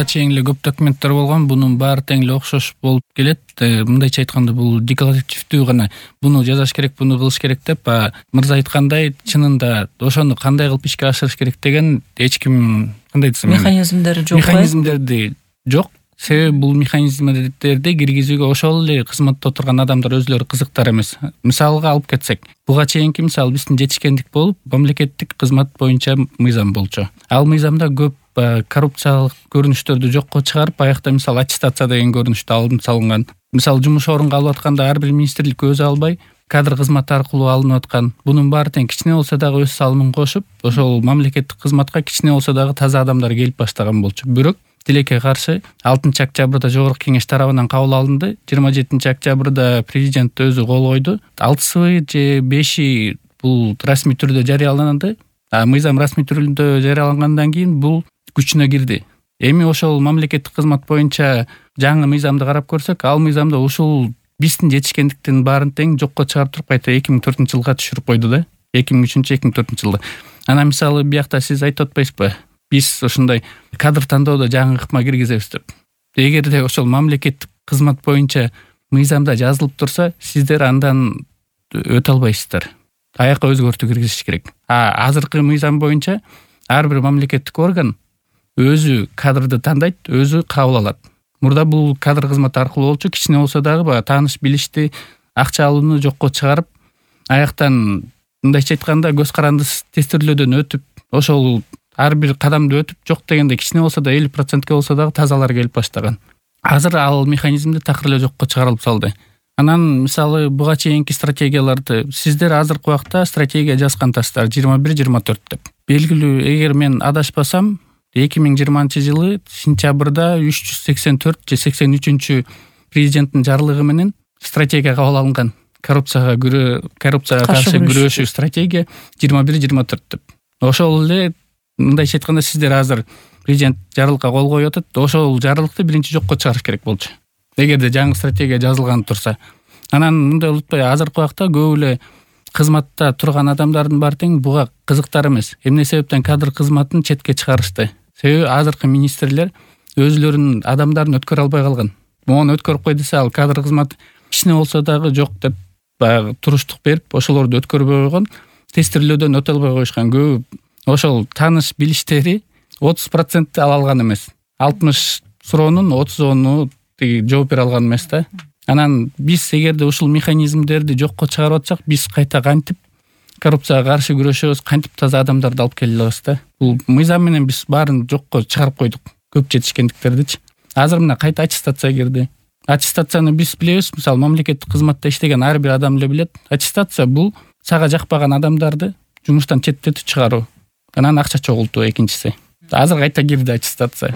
буга чейин эле көп документтер болгон, бунун баары тең эле окшош болуп келет. Мындайча айтканда бул декларативдүү гана буну жасаш керек, буну кылыш керек деп, мырза айткандай чынында ошону кандай кылып ишке ашырыш керек деген эч ким кандай десем, механизмдери жок. Механизмдерди жок. Себеби бул механизмдерди киргизүүгө ошол эле кызматта отурган адамдар өзүлөрү кызыктар эмес. Мисалга алып кетсек, буга чейинки мисалы биздин жетишкендик болуп мамлекеттик кызмат боюнча мыйзам болчу. Ал мыйзамда көп коррупциялык көрүнүштөрдү жокко чыгарып, аякта мисалы аттестация деген көрүнүштү алынып салынган. Мисалы жумуш орунга алып атканда ар бир министрлик өзү албай кадр кызматы аркылуу алынып аткан. Бунун баары тең кичине болсо дагы өз салымын кошуп, ошол мамлекеттик кызматка кичине болсо дагы таза адамдар келип баштаган болчу. Бирок тилекке каршы 6-октябрда жогорку кеңеш тарабынан кабыл алынды. 27-октябрда президент өзү кол койду. 6 же 5 бул расмий түрдө жарыяланды. Мыйзам расмий түрдө жарыялангандан кийин бул күчүнө кирди. Эми ошол мамлекеттик кызмат боюнча жаңы мыйзамды карап көрсөк, ал мыйзамда ушул биздин жетишкендиктин баарын тең жокко чыгарып туруп кайта 2004-жылга түшүрүп койду да. 2003-2004-жылда. Анан мисалы биякта сиз айтып атпайсызбы? Биз ошондой кадр тандоодо жаңы ыкма киргизебиз деп. Эгерде ошол мамлекеттик кызмат боюнча мыйзамда жазылып турса, сиздер андан өтө албайсыздар. Аяка өзгөртүү киргизиш керек. Азыркы мыйзам боюнча ар бир мамлекеттик орган өзү кадрды тандайт, өзү кабыл алат. Мурда бул кадр кызматы аркылуу болчу, кичине болсо дагы тааныш билишти, акча алууну жокко чыгарып, аяктан мындайча айтканда көз карандысыз тестирлөөдөн өтүп, ошол ар бир кадамды өтүп, жок дегенде кичине болсо да 50%ке болсо дагы тазалар келип баштаган. Азыр ал механизмди такыр эле жокко чыгарылып салды. Анан мисалы буга чейинки стратегияларды сиздер азыркы убакта стратегия жазгансыздар 21-24 деп. Белгилүү, эгер мен адашпасам, 2020-жылы сентябрда 384 же 83 президенттин жарлыгы менен стратегия кабыл алынган. Коррупцияга каршы күрөшүү стратегия 21-24 деп. Ошол эле мындайча айтканда сиздер азыр президент жарлыкка кол коюп атат. Ошол жарлыкты биринчи жокко чыгарыш керек болчу. Эгерде жаңы стратегия жазылган турса. Анан мындай унутпай, азыркы убакта көп эле кызматта турган адамдардын баары тең буга кызыктар эмес. Эмне себептен кадр кызматын четке чыгарышты? Себеби азыркы министрлер өзүлөрүнүн адамдарын өткөрө албай калган. Мону өткөрүп кой десе, ал кадр кызмат кичине болсо дагы жок деп баягы туруштук берип, ошолорду өткөрбөй койгон, тестирлөөдөн өтө албай коюшкан. Көп ошол тааныш билиштери 30% ала алган эмес. 60 суроонун 30-ону жооп бере алган эмес да. Анан биз эгерде ушул механизмдерди жокко чыгарып атсак, биз кайта кантип коррупцияга каршы күрөшөбүз, кантип таза адамдарды алып келе алабыз да. Бул мыйзам менен биз баарын жокко чыгарып койдук, көп жетишкендиктердичи. Азыр мына кайта аттестация кирди. Аттестацияны биз билебиз, мисалы мамлекеттик кызматта иштеген ар бир адам эле билет. Аттестация бул сага жакпаган адамдарды жумуштан четтетип чыгаруу. Анан акча чогултуу экинчиси. Азыр кайта кирди аттестация.